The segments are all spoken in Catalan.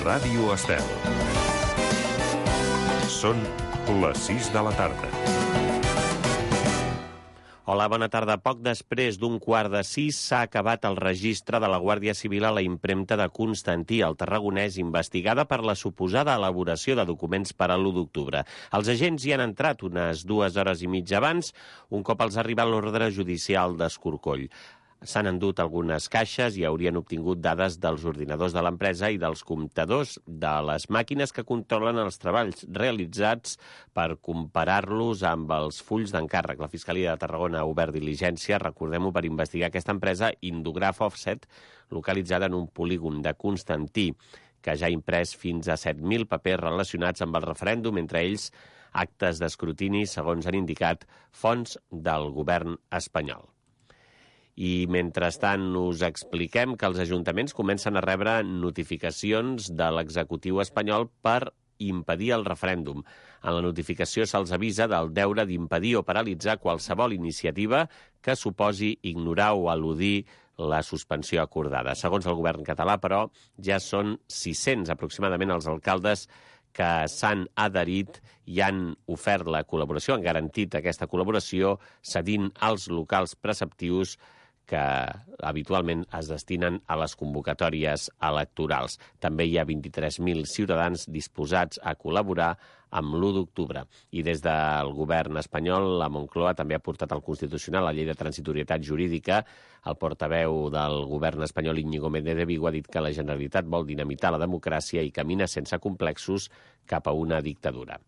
Ràdio Estel. Són les 6 de la tarda. Hola, bona tarda. Poc després d'un 5:15 s'ha acabat el registre de la Guàrdia Civil a la impremta de Constantí, el tarragonès, investigada per la suposada elaboració de documents per a l'1 d'octubre. Els agents hi han entrat unes 2 hores i mitja abans, un cop els ha arribat l'ordre judicial d'Escorcoll. S'han endut algunes caixes i haurien obtingut dades dels ordinadors de l'empresa i dels comptadors de les màquines que controlen els treballs realitzats per comparar-los amb els fulls d'encàrrec. La Fiscalia de Tarragona ha obert diligència, recordem-ho, per investigar aquesta empresa Indograph Offset, localitzada en un polígon de Constantí, que ja ha imprès fins a 7.000 papers relacionats amb el referèndum, entre ells actes d'escrutini, segons han indicat fonts del govern espanyol. I, mentrestant, us expliquem que els ajuntaments comencen a rebre notificacions de l'executiu espanyol per impedir el referèndum. En la notificació se'ls avisa del deure d'impedir o paralitzar qualsevol iniciativa que suposi ignorar o eludir la suspensió acordada. Segons el govern català, però, ja són 600 aproximadament els alcaldes que s'han adherit i han ofert la col·laboració, han garantit aquesta col·laboració, cedint als locals preceptius que habitualment es destinen a les convocatòries electorals. També hi ha 23.000 ciutadans disposats a col·laborar amb l'1 d'octubre. I des del govern espanyol, la Moncloa també ha portat al Constitucional la llei de transitorietat jurídica. El portaveu del govern espanyol, Íñigo Méndez de Vigo, ha dit que la Generalitat vol dinamitar la democràcia i camina sense complexos cap a una dictadura.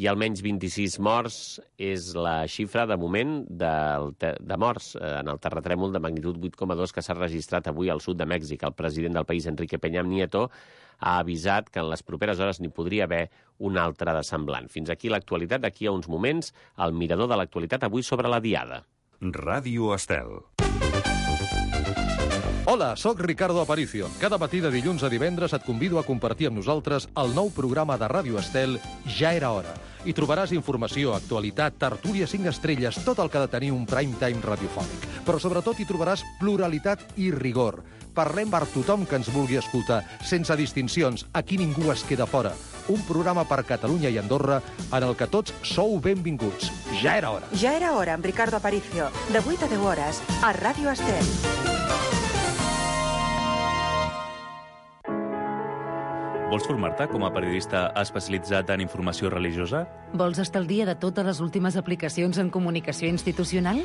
I almenys 26 morts és la xifra, de moment, de morts en el terratrèmol de magnitud 8,2 que s'ha registrat avui al sud de Mèxic. El president del país, Enrique Peña Nieto, ha avisat que en les properes hores n'hi podria haver un altre de semblant. Fins aquí l'actualitat. D'aquí a uns moments, el mirador de l'actualitat avui sobre la Diada. Ràdio Estel. Hola, sóc Ricardo Aparicio. Cada matí de dilluns a divendres et convido a compartir amb nosaltres el nou programa de Ràdio Estel, Ja era hora. Hi trobaràs informació, actualitat, tertúlia 5 estrelles, tot el que ha de tenir un prime time radiofònic. Però sobretot hi trobaràs pluralitat i rigor. Parlem per tothom que ens vulgui escoltar, sense distincions. Aquí ningú es queda fora. Un programa per Catalunya i Andorra en el que tots sou benvinguts. Ja era hora. Ja era hora, amb Ricardo Aparicio, de 8 a 10 hores, a Ràdio Estel. Vols formar-te com a periodista especialitzat en informació religiosa? Vols estar al dia de totes les últimes aplicacions en comunicació institucional?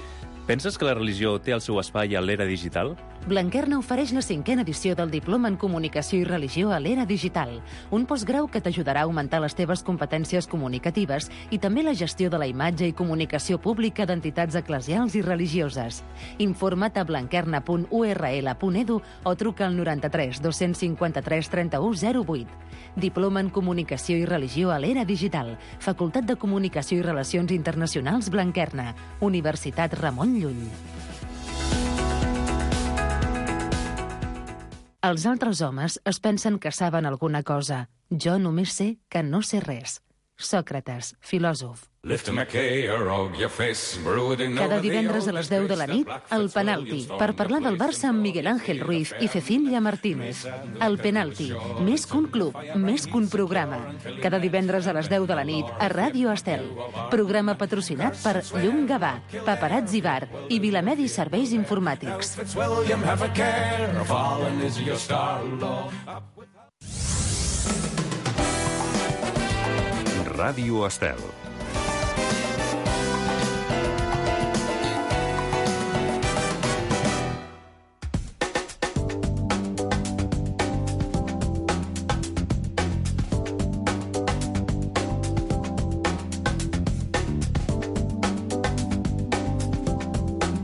Penses que la religió té el seu espai a l'era digital? Blanquerna ofereix la 5a edició del Diploma en Comunicació i Religió a l'era digital, un postgrau que t'ajudarà a augmentar les teves competències comunicatives i també la gestió de la imatge i comunicació pública d'entitats eclesials i religioses. Informa't a blanquerna.url.edu o truca al 93 253 31 08. Diploma en Comunicació i Religió a l'era digital, Facultat de Comunicació i Relacions Internacionals Blanquerna, Universitat Ramon Llull. Els altres homes es pensen que saben alguna cosa. Jo només sé que no sé res. Sòcrates, filòsof. Cada divendres a les 10 de la nit, El Penalti, per parlar del Barça amb Miguel Ángel Ruiz i Cecília Martínez. El Penalti, més que un club, més que un programa. Cada divendres a les 10 de la nit, a Ràdio Estel. Programa patrocinat per Llum Gavà, Paparazzi Bar i Vilamedi Serveis Informàtics. Ràdio Estel.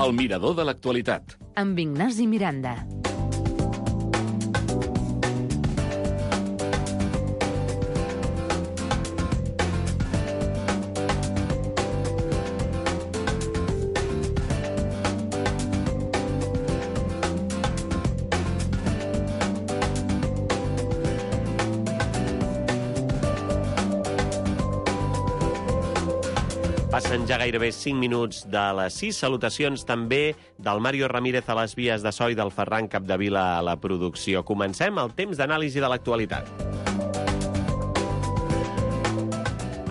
El mirador de l'actualitat. Amb Ignasi Miranda. Passen ja gairebé 5 minuts de les 6. Salutacions també del Mario Ramírez a les vies de so i del Ferran Capdevila a la producció. Comencem el temps d'anàlisi de l'actualitat.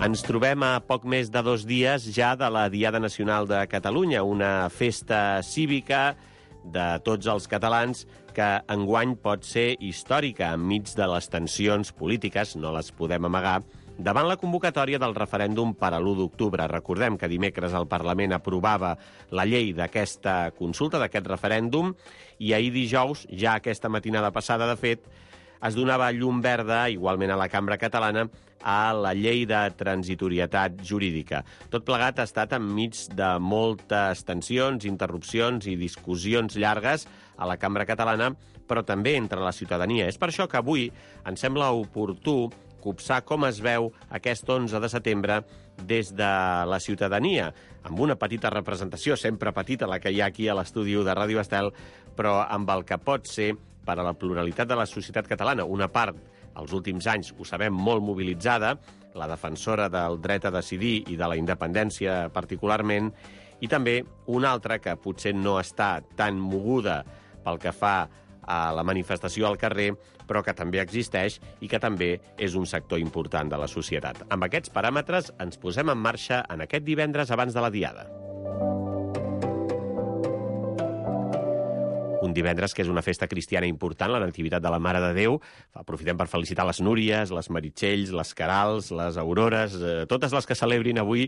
Ens trobem a poc més de 2 dies ja de la Diada Nacional de Catalunya, una festa cívica de tots els catalans que enguany pot ser històrica enmig de les tensions polítiques, no les podem amagar, davant la convocatòria del referèndum per a l'1 d'octubre. Recordem que dimecres el Parlament aprovava la llei d'aquesta consulta, d'aquest referèndum, i ahir dijous, ja aquesta matinada passada, de fet, es donava llum verda, igualment a la Cambra Catalana, a la llei de transitorietat jurídica. Tot plegat ha estat enmig de moltes tensions, interrupcions i discussions llargues a la Cambra Catalana, però també entre la ciutadania. És per això que avui ens sembla oportú copsar com es veu aquest 11 de setembre des de la ciutadania, amb una petita representació, sempre petita, la que hi ha aquí a l'estudi de Ràdio Estel, però amb el que pot ser per a la pluralitat de la societat catalana. Una part, als últims anys, ho sabem, molt mobilitzada, la defensora del dret a decidir i de la independència particularment, i també una altra que potser no està tan moguda pel que fa a la manifestació al carrer, però que també existeix i que també és un sector important de la societat. Amb aquests paràmetres ens posem en marxa en aquest divendres abans de la Diada. Un divendres que és una festa cristiana important, la Nativitat de la Mare de Déu. Aprofitem per felicitar les Núries, les Meritxells, les Querals, les Aurores, totes les que celebrin avui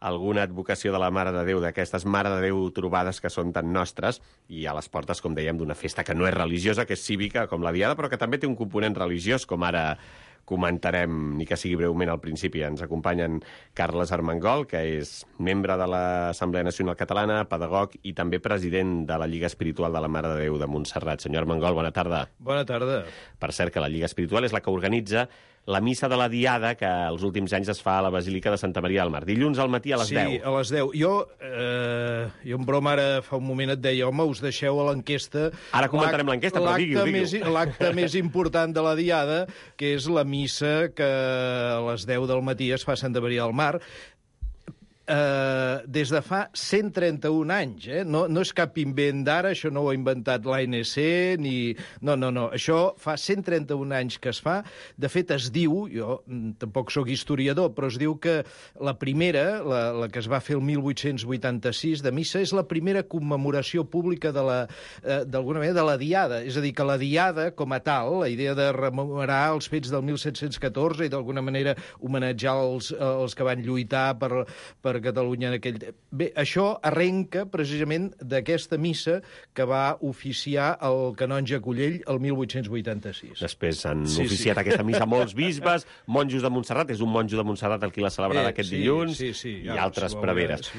alguna advocació de la Mare de Déu, d'aquestes Mare de Déu trobades que són tan nostres, i a les portes, com dèiem, d'una festa que no és religiosa, que és cívica, com la Diada, però que també té un component religiós, com ara comentarem, ni que sigui breument al principi. Ens acompanyen Carles Armengol, que és membre de l'Assemblea Nacional Catalana, pedagog i també president de la Lliga Espiritual de la Mare de Déu de Montserrat. Senyor Armengol, bona tarda. Bona tarda. Per cert, que la Lliga Espiritual és la que organitza la missa de la Diada, que els últims anys es fa a la Basílica de Santa Maria del Mar. Dilluns al matí a les 10. Sí, a les 10. Jo en broma ara fa un moment et deia, home, us deixeu a l'enquesta... Ara comentarem l'enquesta, però digui-ho. L'acte més important de la Diada, que és la missa que a les 10 del matí es fa a Santa Maria del Mar, des de fa 131 anys. No és cap invent d'ara, això no ho ha inventat l'ANC, ni... No. Això fa 131 anys que es fa. De fet, es diu, jo tampoc sóc historiador, però es diu que la primera, la que es va fer el 1886 de missa, és la primera commemoració pública d'alguna manera de la Diada. És a dir, que la Diada, com a tal, la idea de rememorar els fets del 1714 i d'alguna manera homenatjar els que van lluitar per Catalunya en aquell... Bé, això arrenca precisament d'aquesta missa que va oficiar el canonge Collell el 1886. Després han oficiat aquesta missa molts bisbes, monjos de Montserrat, és un monjo de Montserrat el qui l'ha celebrat aquest dilluns, i altres preveres.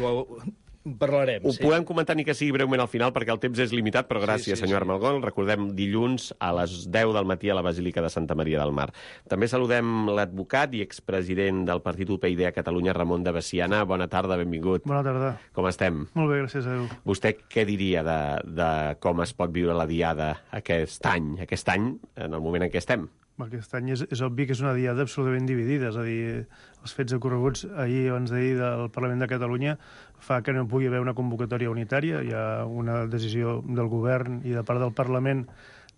Parlarem. Ho podem comentar ni que sigui breument al final, perquè el temps és limitat, però gràcies, senyor Armengol. Recordem, dilluns a les 10 del matí a la Basílica de Santa Maria del Mar. També saludem l'advocat i expresident del Partit UPyD a Catalunya, Ramon de Veciana. Bona tarda, benvingut. Bona tarda. Com estem? Molt bé, gràcies a Déu. Vostè què diria de com es pot viure la Diada aquest any, en el moment en què estem? Aquest any és obvi que és una diada absolutament dividida, és a dir, els fets ocorreguts ahir o abans d'ahir del Parlament de Catalunya fa que no pugui haver una convocatòria unitària. Hi ha una decisió del govern i de part del Parlament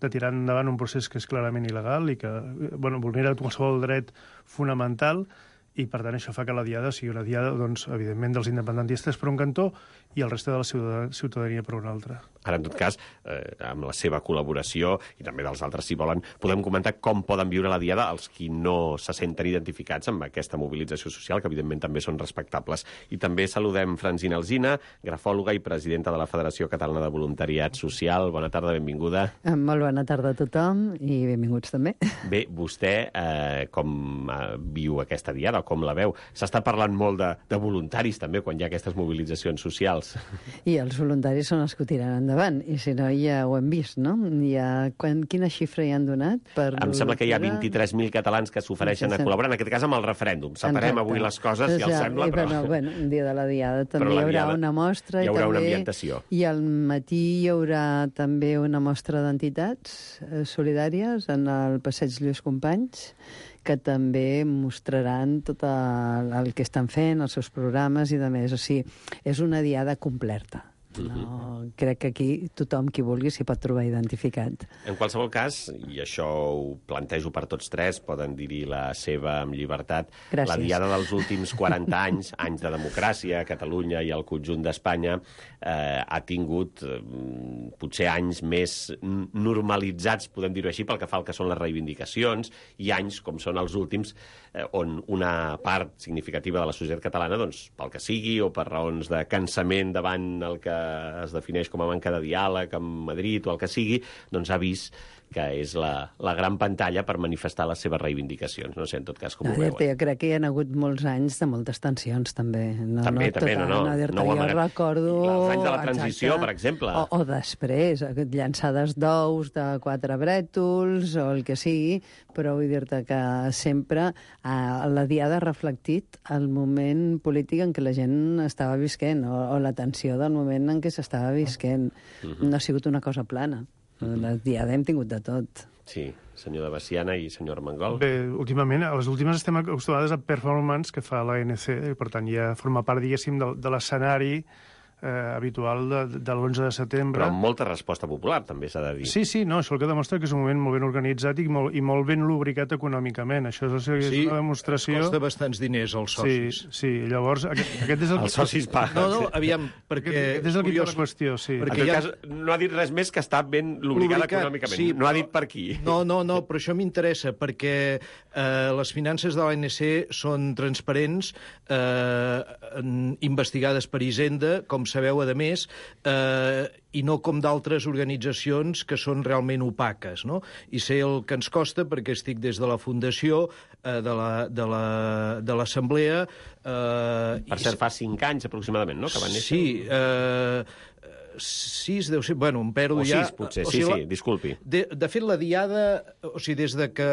de tirar endavant un procés que és clarament il·legal i que vulnera qualsevol dret fonamental, i per tant això fa que la diada sigui una diada, doncs, evidentment, dels independentistes per un cantó i el reste de la ciutadania per un altre. Ara, en tot cas, amb la seva col·laboració, i també dels altres, si volen, podem comentar com poden viure la diada els qui no se senten identificats amb aquesta mobilització social, que evidentment també són respectables. I també saludem Francina Alsina, grafòloga i presidenta de la Federació Catalana de Voluntariat Social. Bona tarda, benvinguda. Molt bona tarda a tothom i benvinguts també. Bé, vostè com viu aquesta diada, com la veu? S'està parlant molt de voluntaris també quan hi ha aquestes mobilitzacions socials. I els voluntaris són els que ho tiren endavant, i si no ja ho hem vist, no? Quina xifra hi han donat? Em sembla que hi ha 23.000 catalans que s'ofereixen a col·laborar, en aquest cas amb el referèndum. Separem avui les coses, si els sembla, però... Bueno, un dia de la diada també hi haurà una mostra. Hi haurà una ambientació. I al matí hi haurà també una mostra d'entitats solidàries en el Passeig Lluís Companys, que també mostraran tot el que estan fent, els seus programes i de més. O sigui, és una diada completa. No, crec que aquí tothom qui vulgui s'hi pot trobar identificat. En qualsevol cas, i això ho plantejo per tots tres, poden dir-hi la seva amb llibertat, Gràcies. la diada dels últims 40 anys, anys de democràcia a Catalunya i al conjunt d'Espanya, ha tingut potser anys més normalitzats, podem dir-ho així, pel que fa al que són les reivindicacions, i anys, com són els últims, on una part significativa de la societat catalana, doncs, pel que sigui, o per raons de cansament davant el que es defineix com a manca de diàleg amb Madrid o el que sigui, doncs ha vist que és la gran pantalla per manifestar les seves reivindicacions. No sé, en tot cas, com ho veuen. Jo crec que hi ha hagut molts anys de moltes tensions, també. També, no ho amaguem. Jo recordo... Els anys de la transició, per exemple. O després, llançades d'ous de 4 brètols, o el que sigui, però vull dir-te que sempre la diada ha reflectit el moment polític en què la gent estava visquent, o la tensió del moment en què s'estava visquent. No ha sigut una cosa plana. La diada hem tingut de tot. Sí, senyor de Baciana i senyor Armengol. Bé, últimament, a les últimes estem acostumades a performance que fa l'ANC, i per tant ja forma part, diguéssim, de l'escenari habitual de l'11 de setembre. Però amb molta resposta popular, també s'ha de dir. Sí, no, això el que demostra que és un moment molt ben organitzat i molt ben lubricat econòmicament. Això és una demostració... Costa bastants diners als socis. Sí, llavors... Aquest és el... Els socis paguen. No, aviam, perquè... Aquest és el curiós. La qüestió, sí. En tot cas, no ha dit res més que està ben lubricat econòmicament. Sí, no ha dit per qui. No, però això m'interessa, perquè les finances de l'ANC són transparents, investigades per Hisenda, com sabeu, a més, i no com d'altres organitzacions que són realment opaques, no? I sé el que ens costa, perquè estic des de la fundació, de l'Assemblea... Per cert, fa 5 anys aproximadament, no?, que van néixer. Sí, 6, deu ser... Bueno, em perdo ja... O 6, potser, sí, disculpi. De fet, la diada... O sigui, des de que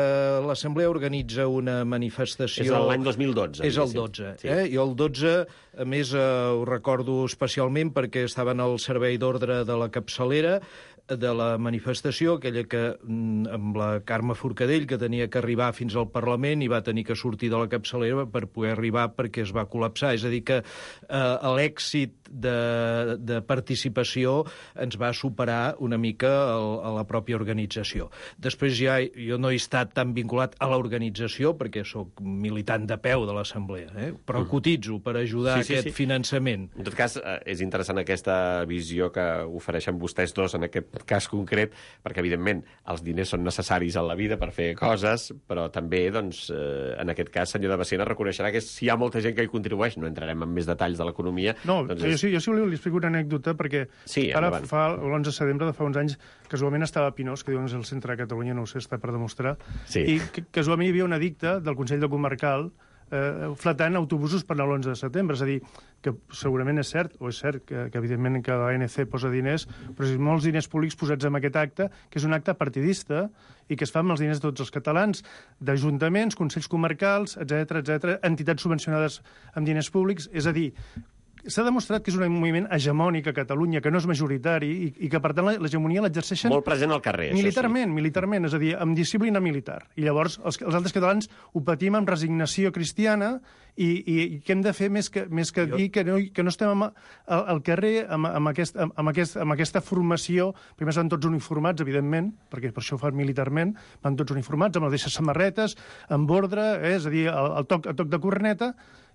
l'Assemblea organitza una manifestació... És l'any 2012. És el 12. Sí. I el 12, a més, ho recordo especialment perquè estava en el servei d'ordre de la capçalera de la manifestació, aquella que amb la Carme Forcadell, que tenia que arribar fins al Parlament i va tenir que sortir de la capçalera per poder arribar perquè es va col·lapsar. És a dir, que l'èxit de participació ens va superar una mica a la pròpia organització. Després ja jo no he estat tan vinculat a l'organització perquè sóc militant de peu de l'Assemblea, però cotitzo per ajudar aquest finançament. En tot cas, és interessant aquesta visió que ofereixen vostès dos en aquest cas concret, perquè, evidentment, els diners són necessaris en la vida per fer coses, però també, doncs, en aquest cas, senyor de Baciana reconeixerà que si hi ha molta gent que hi contribueix, no entrarem en més detalls de l'economia... No, jo si voleu li explico una anècdota, perquè ara fa l'11 de setembre de fa uns anys, casualment estava a Pinós, que diuen és el centre de Catalunya, no ho sé, està per demostrar, i casualment hi havia una dicta del Consell de Comarcal flatant autobusos per l'11 de setembre. És a dir, que segurament és cert, o és cert que evidentment que l'ANC posa diners, però és molts diners públics posats en aquest acte, que és un acte partidista i que es fa amb els diners de tots els catalans, d'ajuntaments, consells comarcals, etc, entitats subvencionades amb diners públics. És a dir, s'ha demostrat que és un moviment hegemònic a Catalunya, que no és majoritari i que, per tant, l'hegemonia l'exerceixen... Molt present al carrer, militarment, és a dir, amb disciplina militar. I llavors els altres catalans ho patim amb resignació cristiana i què hem de fer més que dir que no estem al carrer amb aquesta formació. Primer van tots uniformats, evidentment, perquè per això ho fan militarment, van tots uniformats, amb les deixes samarretes, amb ordre, és a dir, a toc de corneta.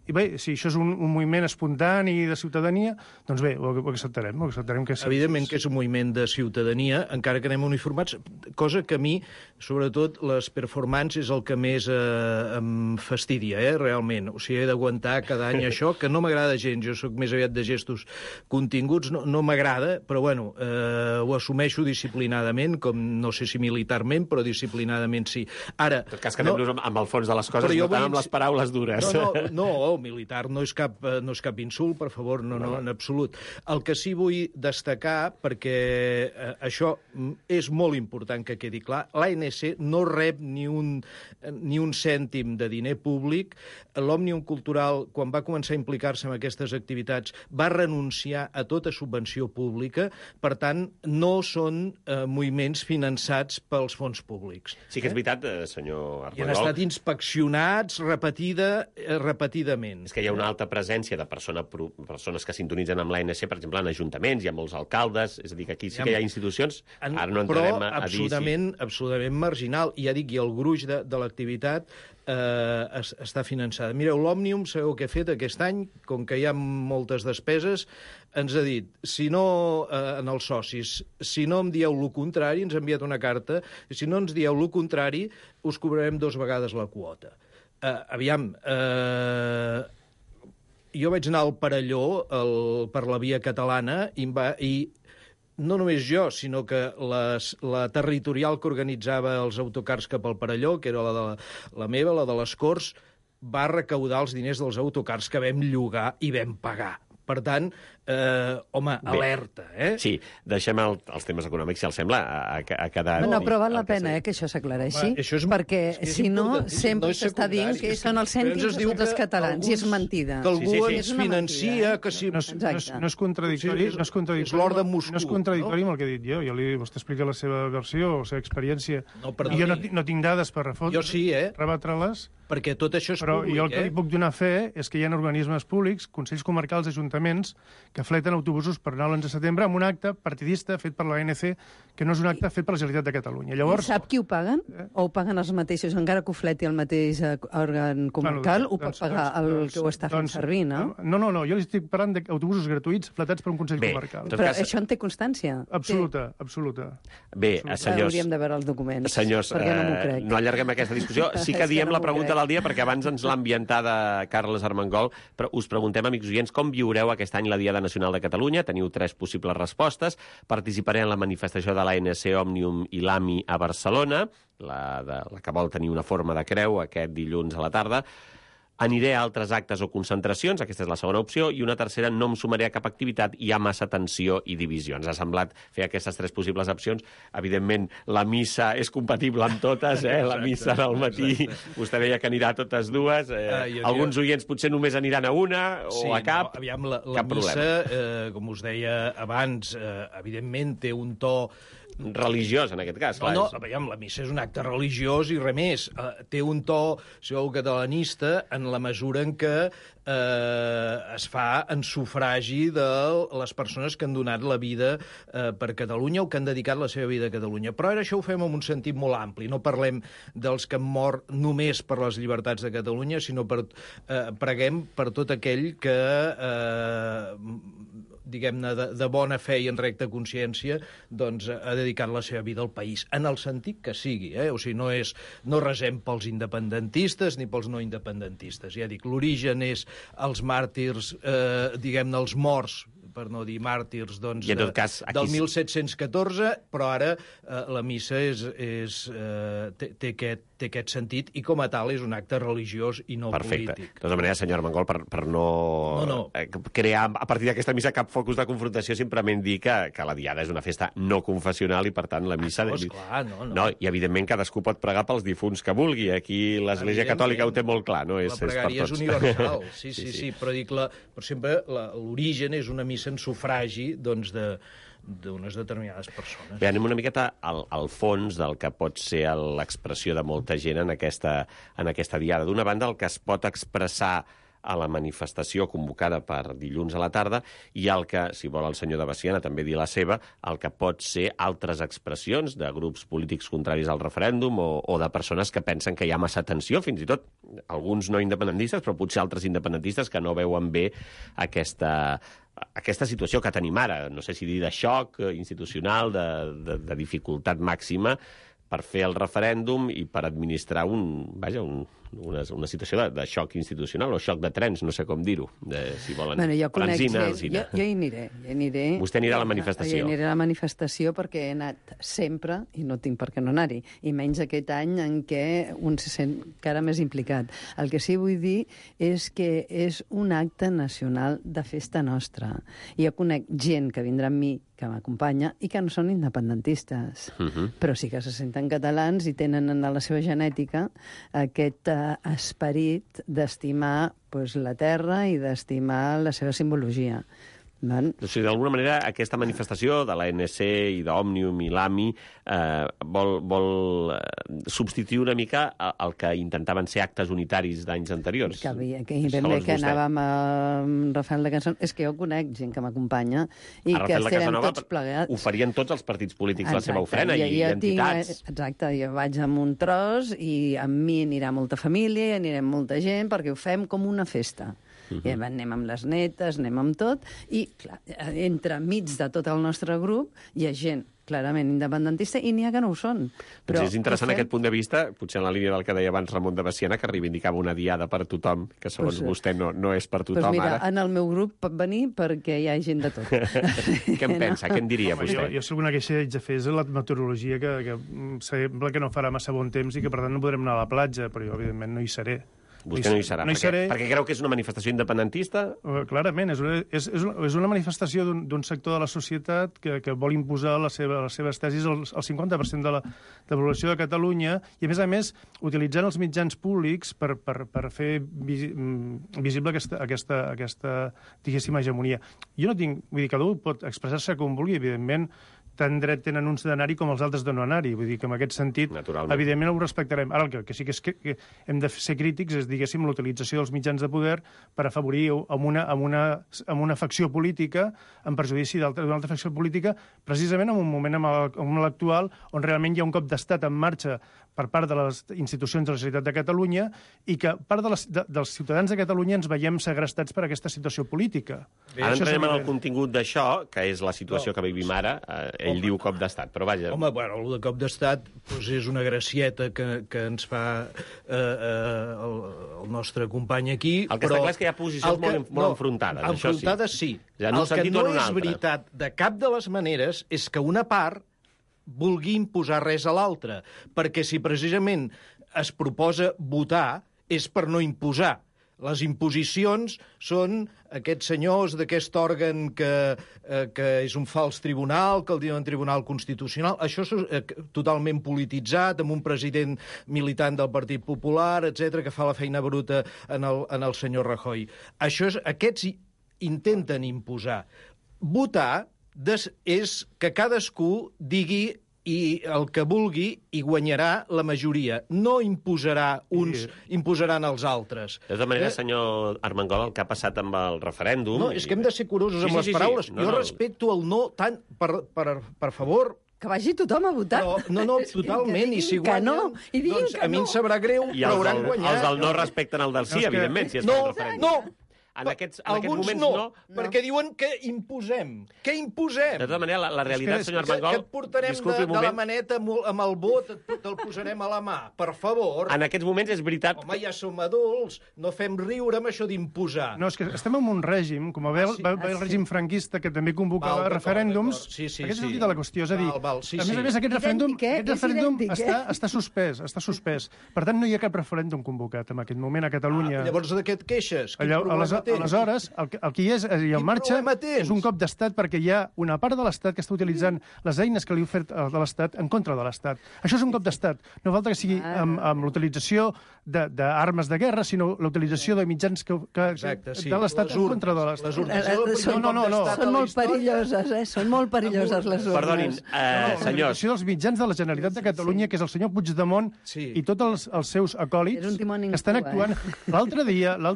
I bé, si això és un moviment espontani de ciutadania, doncs bé, ho acceptarem. Que sí. Evidentment que és un moviment de ciutadania, encara que anem uniformats, cosa que a mi, sobretot, les performances és el que més em fastidia, realment. O sigui, he d'aguantar cada any això, que no m'agrada gens, jo sóc més aviat de gestos continguts, no m'agrada, però bueno, ho assumeixo disciplinadament, com no sé si militarment, però disciplinadament sí. Ara... En tot cas, quedem-nos amb el fons de les coses, no tant amb les paraules dures. No, militar no és cap insult, per favor, no, en absolut. El que sí vull destacar, perquè això és molt important que quedi clar, l'ANC no rep ni un cèntim de diner públic. L'Òmnium Cultural, quan va començar a implicar-se en aquestes activitats, va renunciar a tota subvenció pública, per tant, no són moviments finançats pels fons públics. Sí que és veritat, senyor Armengol. I han estat inspeccionats repetidament. Absolutament. És que hi ha una alta presència de persones que sintonitzen amb l'ANC, per exemple, en ajuntaments, hi ha molts alcaldes, és a dir, que aquí sí que hi ha institucions, ara no entrarem a dir... Però absolutament marginal. I ja dic, i el gruix de l'activitat està finançada. Mireu, l'Òmnium, sabeu què ha fet aquest any? Com que hi ha moltes despeses, ens ha dit, si no, en els socis, si no em dieu el contrari, ens ha enviat una carta, si no ens dieu el contrari, us cobrarem 2 vegades la quota. Jo vaig anar al Perelló per la via catalana i no només jo, sinó que la territorial que organitzava els autocars cap al Perelló, que era la meva, la de les Corts, va recaudar els diners dels autocars que vam llogar i vam pagar. Per tant, alerta, eh? Sí, deixem els temes econòmics, si els sembla, a cada... No, però val la pena que això s'aclareixi, perquè si no, sempre s'està dient que són els cèntims dels catalans, i és mentida. Que algú ens financia, que si... No és contradictori, és l'or de Moscou. No és contradictori amb el que he dit jo. Vostè explica la seva versió, la seva experiència. I jo no tinc dades per refotre. Jo sí, rebatre-les. Perquè tot això és públic, Però jo el que li puc donar fe és que hi ha organismes públics, consells comarcals, ajuntaments, que fleten autobusos per anar l'11 de setembre amb un acte partidista fet per l'ANC, que no és un acte fet per la Generalitat de Catalunya. Llavors, sap qui ho paguen? O ho paguen els mateixos, encara que ho fleti el mateix òrgan comarcal, ho pot pagar el que ho està fent servir, no? No, jo li estic parlant d'autobusos gratuïts fletats per un consell comarcal. Però això en té constància? Absoluta. Bé, senyors... Hauríem de veure els documents, senyors, perquè no m'ho crec. No allarguem aquesta discussió. Sí que diem la pregunta del dia, perquè abans ens l'ha ambientada Carles Armengol, però us preguntem, amics oients, com viureu aquest any la Diada Nacional de Catalunya? Teniu 3 possibles respostes. Participaré en la manifestació de l'ANC, Òmnium i l'AMI a Barcelona, la que vol tenir una forma de creu aquest dilluns a la tarda. Aniré a altres actes o concentracions, aquesta és la segona opció, i una tercera, no em sumaré a cap activitat, hi ha massa tensió i divisió. Ens ha semblat fer aquestes 3 possibles opcions. Evidentment, la missa és compatible amb totes, la missa del matí. Vostè deia que anirà a totes dues. Alguns oients potser només aniran a una o a cap. No, aviam, la missa, com us deia abans, evidentment té un to religiós, en aquest cas. Clar. No, la missa és un acte religiós i res més. Té un to, si veu, catalanista, en la mesura en què es fa en sufragi de les persones que han donat la vida per Catalunya o que han dedicat la seva vida a Catalunya. Però ara això ho fem en un sentit molt ampli. No parlem dels que han mort només per les llibertats de Catalunya, sinó preguem per tot aquell que diguem-ne, de bona fe i en recta consciència, doncs ha dedicat la seva vida al país, en el sentit que sigui, O sigui, no resem pels independentistes ni pels no independentistes. Ja dic, l'origen és els màrtirs, diguem-ne, els morts, per no dir màrtirs, doncs, del 1714, però ara la missa té aquest sentit i com a tal és un acte religiós i no polític. De tota manera, senyor Armengol, per no crear a partir d'aquesta missa cap focus de confrontació, simplement dir que la Diada és una festa no confessional i, per tant, la missa... I, evidentment, cadascú pot pregar pels difunts que vulgui. Aquí l'Església Catòlica ho té molt clar, no? La pregària és universal, sí. Però dic, per sempre, l'origen és una missa en sufragi, doncs, d'unes determinades persones. Bé, anem una miqueta al fons del que pot ser l'expressió de molta gent en aquesta diada. D'una banda, el que es pot expressar a la manifestació convocada per dilluns a la tarda i el que, si vol el senyor de Veciana també dir la seva, el que pot ser altres expressions de grups polítics contraris al referèndum o de persones que pensen que hi ha massa tensió, fins i tot alguns no independentistes, però potser altres independentistes que no veuen bé aquesta situació que tenim ara, no sé si dir de xoc institucional, de dificultat màxima per fer el referèndum i per administrar una situació de xoc institucional o xoc de trens, no sé com dir-ho, si volen. Jo conec gent, jo hi aniré. Vostè anirà a la manifestació. Jo aniré a la manifestació perquè he anat sempre i no tinc per què no anar-hi, i menys aquest any en què un se sent encara més implicat. El que sí vull dir és que és un acte nacional de festa nostra. I jo conec gent que vindrà amb mi, que m'acompanya, i que no són independentistes, però sí que se senten catalans i tenen en la seva genètica aquest esperit d'estimar la terra i d'estimar la seva simbologia. O sigui, d'alguna manera, aquesta manifestació de l'ANC i d'Òmnium i l'AMI vol substituir una mica el que intentaven ser actes unitaris d'anys anteriors. Que ben bé que anàvem amb Rafael de Casanova. És que jo conec gent que m'acompanya i que estarem tots plegats. Ho farien tots els partits polítics, la seva ofrena, i entitats. Exacte, jo vaig amb un tros i amb mi anirà molta família, anirem molta gent, perquè ho fem com una festa. I anem amb les netes, anem amb tot, i clar, entre mig de tot el nostre grup hi ha gent clarament independentista i n'hi ha que no ho són. Però és interessant aquest punt de vista, potser en la línia del que deia abans Ramon de Veciana, que reivindicava una diada per tothom, que segons vostè no és per tothom mira, ara. En el meu grup pot venir perquè hi ha gent de tot. Què en pensa? Què en diria vostè? Jo alguna queixa haig de fer és la meteorologia, que sembla que no farà massa bon temps i que per tant no podrem anar a la platja, però jo evidentment no hi seré. Vostè no hi serà, perquè creu que és una manifestació independentista? Clarament, és una manifestació d'un sector de la societat que vol imposar les seves tesis al 50% de la població de Catalunya i, a més, utilitzant els mitjans públics per fer visible aquesta diguéssim, hegemonia. Jo no tinc... Vull dir, cada un pot expressar-se com vulgui, evidentment, tant dret tenen uns d'anar-hi com els altres de no anar-hi. Vull dir que en aquest sentit, evidentment, ho respectarem. Ara, el que sí que és que hem de ser crítics és, diguéssim, l'utilització dels mitjans de poder per afavorir amb una facció política, en perjudici d'una altra facció política, precisament en un moment com l'actual, on realment hi ha un cop d'estat en marxa per part de les institucions de la Generalitat de Catalunya i que part dels ciutadans de Catalunya ens veiem segrestats per aquesta situació política. Ara entrarem en el contingut d'això, que és la situació que vivim ara. Ell diu cop d'estat, però vaja... Home, bueno, el de cop d'estat és una gracieta que ens fa el nostre company aquí, el que està clar és que hi ha posicions molt enfrontades, això sí. Enfrontades sí. El que no és veritat de cap de les maneres és que una part vulgui imposar res a l'altra, perquè si precisament es proposa votar és per no imposar. Les imposicions són aquests senyors d'aquest òrgan que és un fals tribunal, que el diuen Tribunal Constitucional. Això és totalment polititzat, amb un president militant del Partit Popular, etc que fa la feina bruta en el senyor Rajoy. Aquests intenten imposar. Votar és que cadascú digui el que vulgui i guanyarà la majoria. No imposarà uns, imposaran els altres. De tota manera, senyor Armengol, el que ha passat amb el referèndum... No, és que hem de ser curosos amb les paraules. Jo respecto el no tant, per favor... Que vagi tothom a votar. No, totalment. I si guanyen, doncs a mi em sabrà greu, però hauran guanyat. Els del no respecten el del sí, evidentment, si es fa el referèndum. No, en aquests moments no, perquè diuen que imposem. Què imposem? De tota manera, la realitat, senyor Armengol... Que et portarem de la maneta amb el vot, te'l posarem a la mà, per favor. En aquests moments és veritat... Home, ja som adults, no fem riure amb això d'imposar. No, és que estem en un règim, com va el règim franquista, que també convocava referèndums. Aquest és el dit de la qüestió, és a dir, a més, aquest referèndum està suspès. Per tant, no hi ha cap referèndum convocat en aquest moment a Catalunya. Llavors, de què et queixes? Aleshores, el que hi és en marxa és un cop d'estat perquè hi ha una part de l'Estat que està utilitzant les eines que li ha ofert de l'Estat en contra de l'Estat. Això és un cop d'estat. No falta que sigui amb l'utilització d'armes de guerra, sinó l'utilització de mitjans de l'Estat en contra de l'Estat. No. Són molt perilloses, Són molt perilloses les urnes. Perdonin, senyors. L'utilització dels mitjans de la Generalitat de Catalunya, que és el senyor Puigdemont i tots els seus acòlits, que estan actuant. L'altre dia, el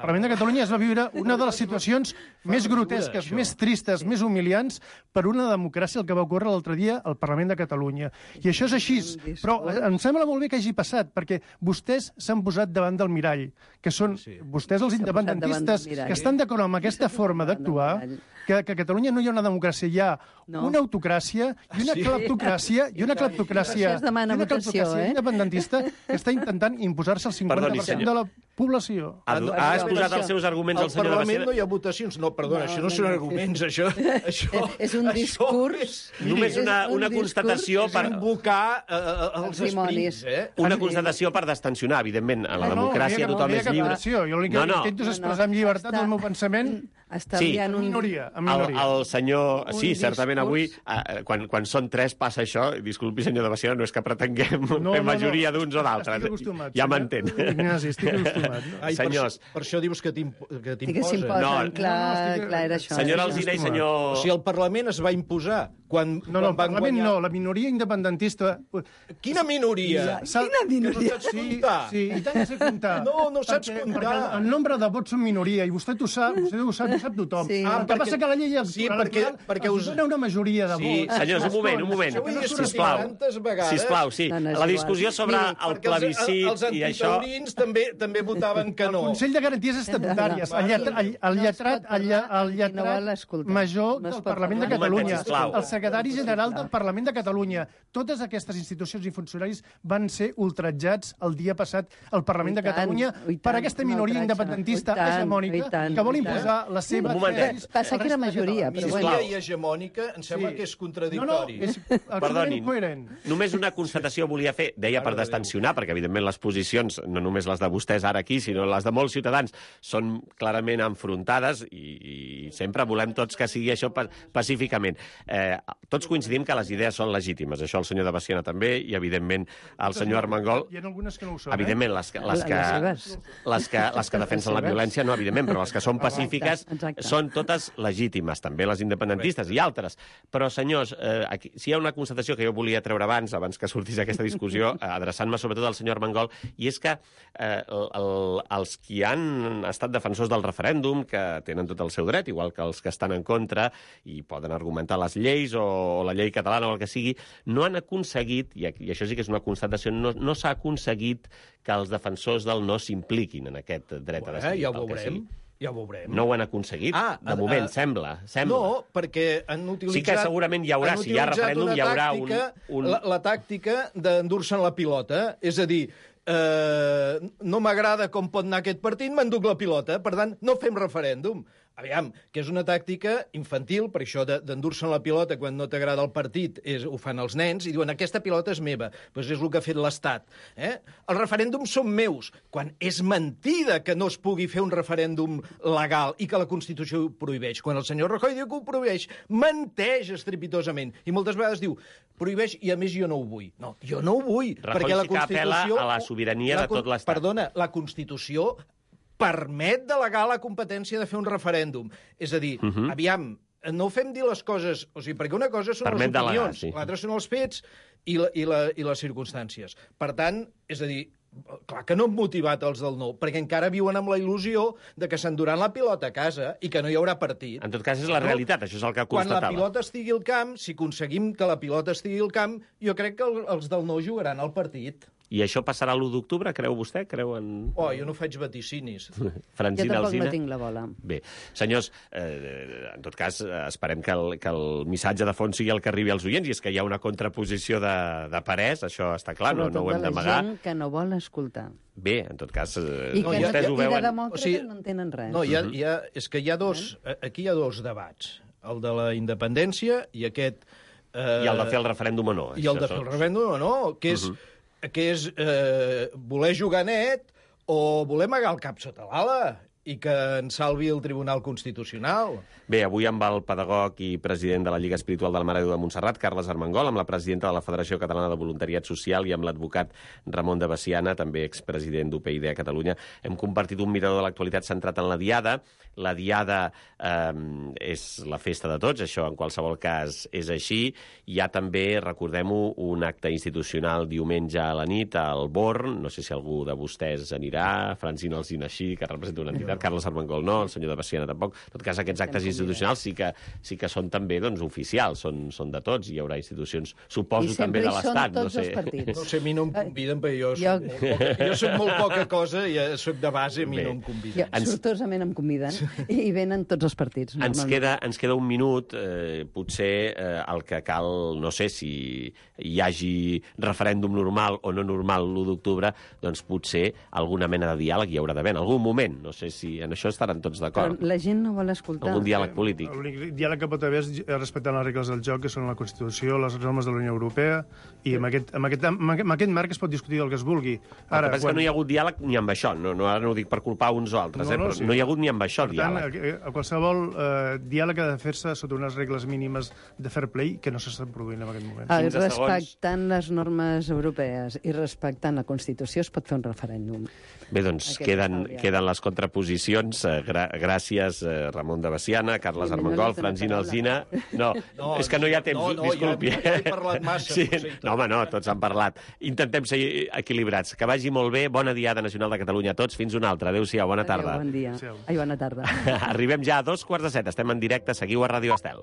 Parlament de Catalunya es va viure una de les situacions més grotesques, més tristes, més humiliants per una democràcia, el que va ocórrer l'altre dia al Parlament de Catalunya. I això és així. Però em sembla molt bé que hagi passat, perquè vostès s'han posat davant del mirall, que són vostès els independentistes que estan d'acord amb aquesta forma d'actuar, que a Catalunya no hi ha una democràcia, hi ha una autocràcia i una cleptocràcia independentista que està intentant imposar-se el 50% de la població. Ha exposat els seus arguments al senyor de Veciana. Al Parlament no hi ha votacions. No, perdona, això no són arguments, això... És un discurs... Només una constatació per... invocar els esprits, Una constatació per destensionar, evidentment. A la democràcia tothom és lliure. Jo l'únic que intento és expressar amb llibertat el meu pensament està Sí. liant un... El senyor... Un Sí, certament avui, discurs. quan són 3 passa això, disculpi, senyor de Baciana, no és que pretenguem fer majoria d'uns o d'altres. Estic acostumat. Ja m'entén. Ignasi, estic acostumat. Ai, Senyors... Per això dius que Que t'imposen. s'imposen, clar, era això. Senyora Alsina i senyor... O sigui, el Parlament es va imposar quan No, el van Parlament guanyar... no, la minoria independentista... Quina minoria? Quina minoria? No saps comptar? Sí, i tant que sé comptar. No saps comptar. Perquè el nombre de vots són minoria, i vostè ho sap, ho sap tothom. Sí. El que passa que la llei Sí, electoral perquè us dona una majoria de Sí, vots. senyors, un moment. Això ho he dit Sisplau. tantes vegades. Sisplau, sí. No, no és La igual. discussió sobre el Perquè plebiscit els i això... antitaurins també votaven que no. El Consell de Garanties Estatutàries, el lletrat major del Parlament de Catalunya, el secretari general del Parlament de Catalunya, totes aquestes institucions i funcionaris van ser ultratjats el dia passat al Parlament de Catalunya per aquesta minoria independentista hegemònica que vol imposar la seva... Un momentet. Passa que era majoria, però bueno. Minoria i hegemònica em sembla que és contradictori. és Perdonin, coherent. només una constatació volia fer, deia per destensionar, perquè evidentment les posicions, no només les de vostès ara aquí, sinó les de molts ciutadans, són clarament enfrontades i sempre volem tots que sigui això pacíficament. Tots coincidim que les idees són legítimes, això el senyor de Baciana també, i evidentment el senyor Armengol... Hi ha algunes que no ho són, Evidentment, les que defensen la violència, no, evidentment, però les que són pacífiques són totes legítimes, també les independentistes i altres. Però, senyors, aquí, si hi ha una constatació que jo volia treure abans que sortís aquesta discussió, adreçant-me sobretot al senyor Armengol, i és que els qui han estat defensors del referèndum, que tenen tot el seu dret, igual que els que estan en contra, i poden argumentar les lleis o la llei catalana o el que sigui, no han aconseguit, i això sí que és una constatació, no s'ha aconseguit que els defensors del no s'impliquin en aquest dret a decidir. Ja ho veurem. Ja ho veurem. No ho han aconseguit, de moment, sembla. No, perquè han utilitzat... Sí que segurament hi haurà, si hi ha referèndum, hi haurà un... La tàctica d'endur-se'n la pilota, és a dir, no m'agrada com pot anar aquest partit, m'enduc la pilota, per tant, no fem referèndum. Aviam, que és una tàctica infantil, per això d'endur-se'n la pilota quan no t'agrada el partit, ho fan els nens, i diuen, aquesta pilota és meva. Doncs és el que ha fet l'Estat. Els referèndums són meus, quan és mentida que no es pugui fer un referèndum legal i que la Constitució ho prohibeix. Quan el senyor Rajoy diu que ho prohibeix, menteix estrepitosament. I moltes vegades diu, prohibeix i a més jo no ho vull. No, jo no ho vull. Rajoy sí que apel·la a la sobirania de tot l'Estat. Perdona, la Constitució permet delegar la competència de fer un referèndum. És a dir, aviam, no fem dir les coses... O sigui, perquè una cosa són les opinions, l'altra són els fets i les circumstàncies. Per tant, és a dir, clar que no han motivat els del no, perquè encara viuen amb la il·lusió de que s'enduran la pilota a casa i que no hi haurà partit. En tot cas, és la realitat, això és el que constatava. Quan la pilota estigui al camp, si aconseguim que la pilota estigui al camp, jo crec que els del no jugaran al partit. I això passarà l'1 d'octubre, creu vostè? Creuen... Jo no faig vaticinis. Francina jo tampoc Alsina? no tinc la bola. Bé, senyors, en tot cas, esperem que el missatge de fons sigui el que arribi als oients, i és que hi ha una contraposició de parers, això està clar, no ho hem d'amagar. Sobretot de la gent que no vol escoltar. Bé, en tot cas, I que vostès ho veuen... de demòcrates no entenen res. No, és que hi ha aquí hi ha dos debats. El de la independència i aquest... I el de fer el referèndum o no. I el de fer el referèndum o no, que és voler jugar net o voler amagar el cap sota l'ala i que ens salvi el Tribunal Constitucional. Bé, avui amb el pedagog i president de la Lliga Espiritual del Mare de Déu de Montserrat, Carles Armengol, amb la presidenta de la Federació Catalana de Voluntariat Social i amb l'advocat Ramon de Baciana, també expresident d'UPyD a Catalunya, hem compartit un mirador de l'actualitat centrat en la Diada. La Diada és la festa de tots, això en qualsevol cas és així. Hi ha també, recordem-ho, un acte institucional diumenge a la nit al Born, no sé si algú de vostès anirà, Francina Alsina així, que representa una entitat, Carles Armengol no, el senyor de Baciana tampoc. En tot cas, aquests actes institucionals sí que són també oficials, són de tots, hi haurà institucions, suposo, també de l'Estat. No sé, a mi no em conviden, perquè jo soc molt poca cosa i soc de base, a mi no em conviden. Sortosament em conviden i venen tots els partits. Ens queda un minut, potser el que cal, no sé si hi hagi referèndum normal o no normal l'1 d'octubre, doncs potser alguna mena de diàleg hi haurà d'haver en algun moment, no sé si si en això estaran tots d'acord. La gent no vol escoltar. Algun diàleg polític. L'únic diàleg que pot haver és respectant les regles del joc, que són la Constitució, les normes de la Unió Europea, i amb aquest marc es pot discutir el que es vulgui. Ara, el que passa que no hi ha hagut diàleg ni amb això. Ara no ho dic per culpar uns o altres, però no hi ha hagut ni amb això diàleg. Per tant, qualsevol diàleg ha de fer-se sota unes regles mínimes de fair play que no s'estan produint en aquest moment. Respectant les normes europees i respectant la Constitució es pot fer un referèndum. Bé, doncs queden les contraposicions. Gràcies, Ramon de Baciana, Carles Armengol, Francina Alsina. No, és que no hi ha temps, disculpi. Ja he parlat massa. No, home, no, tots han parlat. Intentem ser equilibrats. Que vagi molt bé. Bona Diada Nacional de Catalunya a tots. Fins una altra. Adéu-siau, bona tarda. Bon dia. Ai, bona tarda. Arribem ja a 2:45. Estem en directe. Seguiu a Ràdio Estel.